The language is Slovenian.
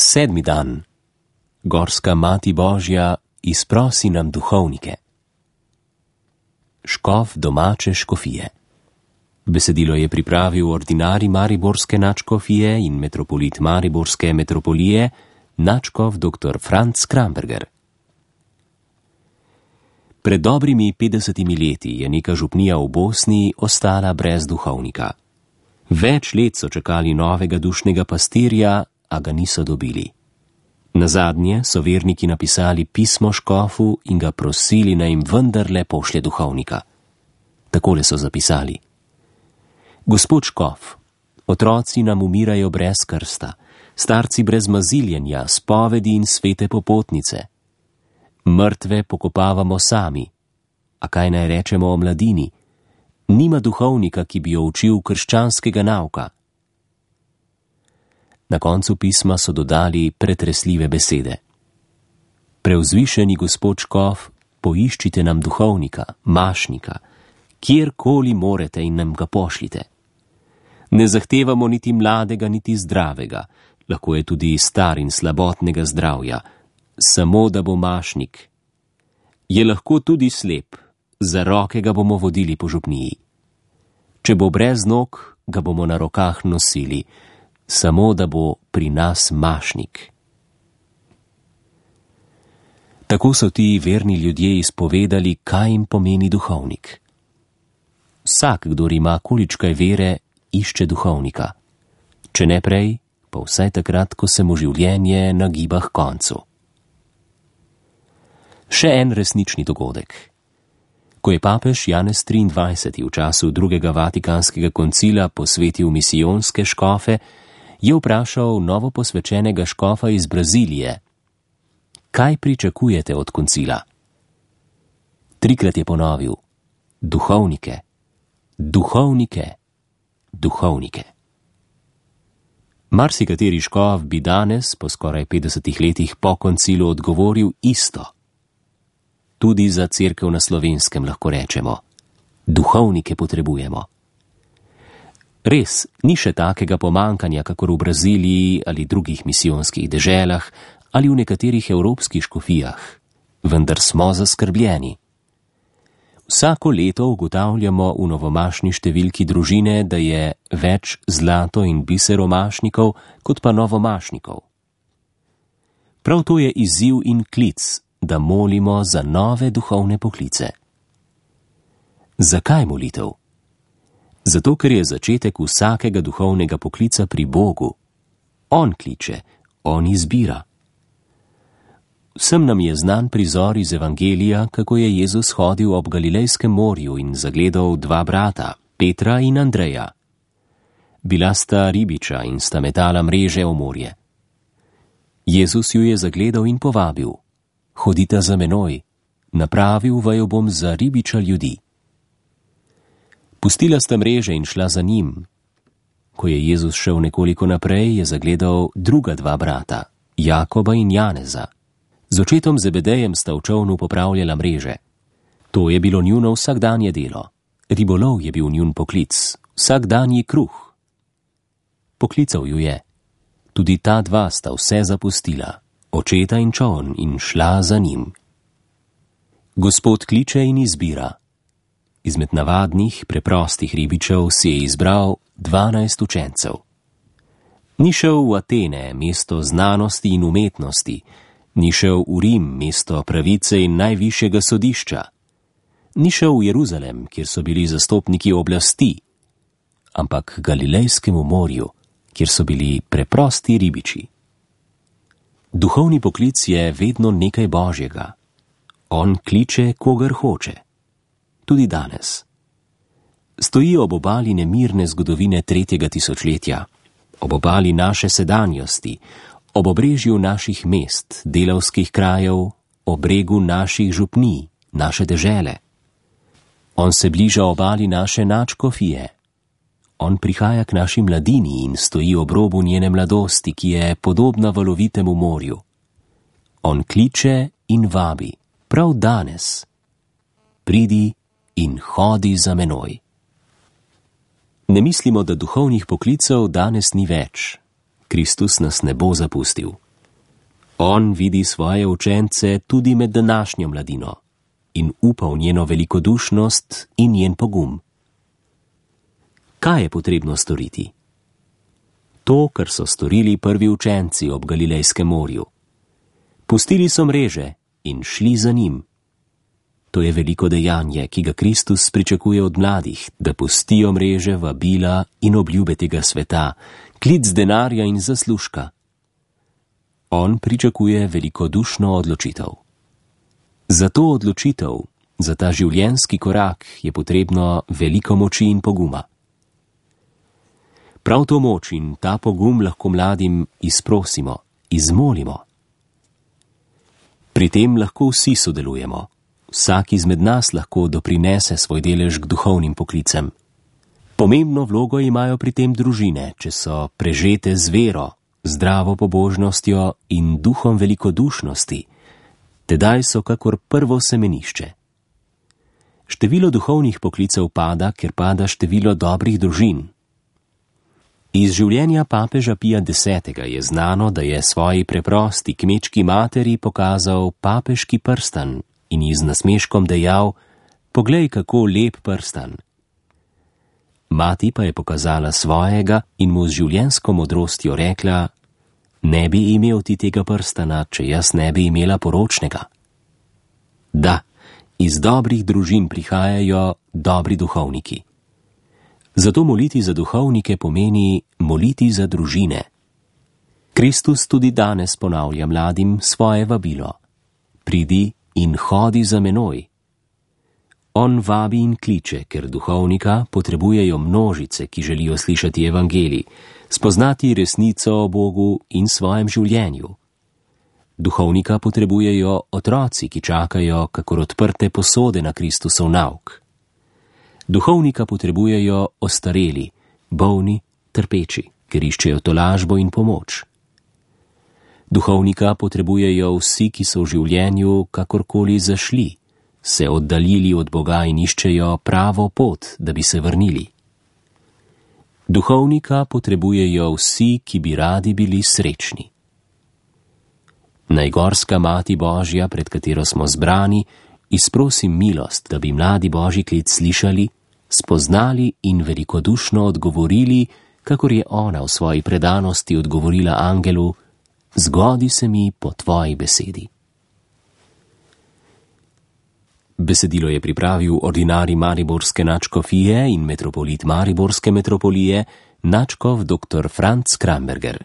7. dan. Gorska Mati Božja, izprosi nam duhovnike. Škof domače škofije. Besedilo je pripravil ordinarij mariborske nadškofije in metropolit mariborske metropolije, nadškof dr. Franc Kramberger. Pred dobrimi 50 leti je neka župnija v Bosni ostala brez duhovnika. Več let so čakali novega dušnega pastirja, a ga niso dobili. Nazadnje so verniki napisali pismo škofu in ga prosili, naj jim vendarle pošlje duhovnika. Takole so zapisali: Gospod škof, otroci nam umirajo brez krsta, starci brez maziljenja, spovedi in svete popotnice. Mrtve pokopavamo sami. A kaj naj rečemo o mladini? Nima duhovnika, ki bi jo učil krščanskega nauka. Na koncu pisma so dodali pretresljive besede. Preuzvišeni gospod škof, poiščite nam duhovnika, mašnika, kjerkoli morete in nam ga pošljite. Ne zahtevamo niti mladega, niti zdravega, lahko je tudi star in slabotnega zdravja, samo da bo mašnik. Je lahko tudi slep, za roke ga bomo vodili po župniji. Če bo brez nog, ga bomo na rokah nosili, samo da bo pri nas mašnik. Tako so ti verni ljudje izpovedali, kaj jim pomeni duhovnik. Vsak, kdor ima količkaj vere, išče duhovnika. Če ne prej, pa vsaj takrat, ko se mu življenje nagiba k koncu. Še en resnični dogodek. Ko je papež Janez 23. v času drugega vatikanskega koncila posvetil misijonske škofe, je vprašal novoposvečenega škofa iz Brazilije: Kaj pričakujete od koncila? 3-krat je ponovil: duhovnike, duhovnike, duhovnike. Marsikateri škof bi danes, po skoraj 50 letih po koncilu, odgovoril isto. Tudi za cerkev na Slovenskem lahko rečemo: duhovnike potrebujemo. Res, ni še takega pomankanja, kakor v Braziliji ali drugih misijonskih deželah ali v nekaterih evropskih škofijah, vendar smo zaskrbljeni. Vsako leto ugotavljamo v novomašni številki družine, da je več zlato in biseromašnikov kot pa novomašnikov. Prav to je izziv in klic, da molimo za nove duhovne poklice. Zakaj molitev? Zato, ker je začetek vsakega duhovnega poklica pri Bogu. On kliče, on izbira. Vsem nam je znan prizor iz Evangelija, kako je Jezus hodil ob Galilejskem morju in zagledal 2 brata, Petra in Andreja. Bila sta ribiča in sta metala mreže v morje. Jezus ju je zagledal in povabil: Hodita za menoj, napravil vaju bom za ribiča ljudi. Pustila sta mreže in šla za njim. Ko je Jezus šel nekoliko naprej, je zagledal druga 2 brata, Jakoba in Janeza. Z očetom Zebedejem sta v čolnu popravljala mreže. To je bilo njuno vsakdanje delo. Ribolov je bil njun poklic, vsakdanji kruh. Poklical ju je. Tudi ta 2 sta vse zapustila, očeta in čoln, in šla za njim. Gospod kliče in izbira. Izmed navadnih, preprostih ribičev si je izbral 12 učencev. Ni šel v Atene, mesto znanosti in umetnosti, ni šel v Rim, mesto pravice in najvišjega sodišča, ni šel v Jeruzalem, kjer so bili zastopniki oblasti, ampak k Galilejskemu morju, kjer so bili preprosti ribiči. Duhovni poklic je vedno nekaj božjega. On kliče, kogar hoče. Tudi danes. Stoji ob obali nemirne zgodovine 3. tisočletja, ob obali naše sedanjosti, ob obrežju naših mest, delavskih krajev, ob bregu naših župnij, naše dežele. On se bliža obali naše nadškofije. On prihaja k naši mladini in stoji ob robu njene mladosti, ki je podobna valovitemu morju. On kliče in vabi, prav danes: Pridi in hodi za menoj. Ne mislimo, da duhovnih poklicev danes ni več. Kristus nas ne bo zapustil. On vidi svoje učence tudi med današnjo mladino in upa v njeno velikodušnost in njen pogum. Kaj je potrebno storiti? To, kar so storili prvi učenci ob Galilejskem morju. Pustili so mreže in šli za njim. To je veliko dejanje, ki ga Kristus pričakuje od mladih, da pustijo mreže, vabila in obljube tega sveta, klic denarja in zaslužka. On pričakuje velikodušno odločitev. Za to odločitev, za ta življenjski korak je potrebno veliko moči in poguma. Prav to moč in ta pogum lahko mladim izprosimo, izmolimo. Pri tem lahko vsi sodelujemo. Vsak izmed nas lahko doprinese svoj delež k duhovnim poklicem. Pomembno vlogo imajo pri tem družine, če so prežete z vero, zdravo pobožnostjo in duhom velikodušnosti, tedaj so kakor prvo semenišče. Število duhovnih poklicev pada, ker pada število dobrih družin. Iz življenja papeža Pija X. je znano, da je svoji preprosti kmečki materi pokazal papeški prstan in ji z nasmeškom dejal: "Poglej, kako lep prstan." Mati pa je pokazala svojega in mu z življenjsko modrostjo rekla: "Ne bi imel ti tega prstana, če jaz ne bi imela poročnega." Da, iz dobrih družin prihajajo dobri duhovniki. Zato moliti za duhovnike pomeni moliti za družine. Kristus tudi danes ponavlja mladim svoje vabilo: "Pridi in hodi za menoj." On vabi in kliče, ker duhovnika potrebujejo množice, ki želijo slišati evangelij, spoznati resnico o Bogu in svojem življenju. Duhovnika potrebujejo otroci, ki čakajo kakor odprte posode na Kristusov nauk. Duhovnika potrebujejo ostareli, bolni, trpeči, ker iščejo tolažbo in pomoč. Duhovnika potrebujejo vsi, ki so v življenju kakorkoli zašli, se oddaljili od Boga in iščejo pravo pot, da bi se vrnili. Duhovnika potrebujejo vsi, ki bi radi bili srečni. Najgorska Mati Božja, pred katero smo zbrani, izprosim milost, da bi mladi Božji klic slišali, spoznali in velikodušno odgovorili, kakor je ona v svoji predanosti odgovorila angelu: "Zgodi se mi po tvoji besedi." Besedilo je pripravil ordinarij mariborske nadškofije in metropolit mariborske metropolije, nadškof dr. Franc Kramberger.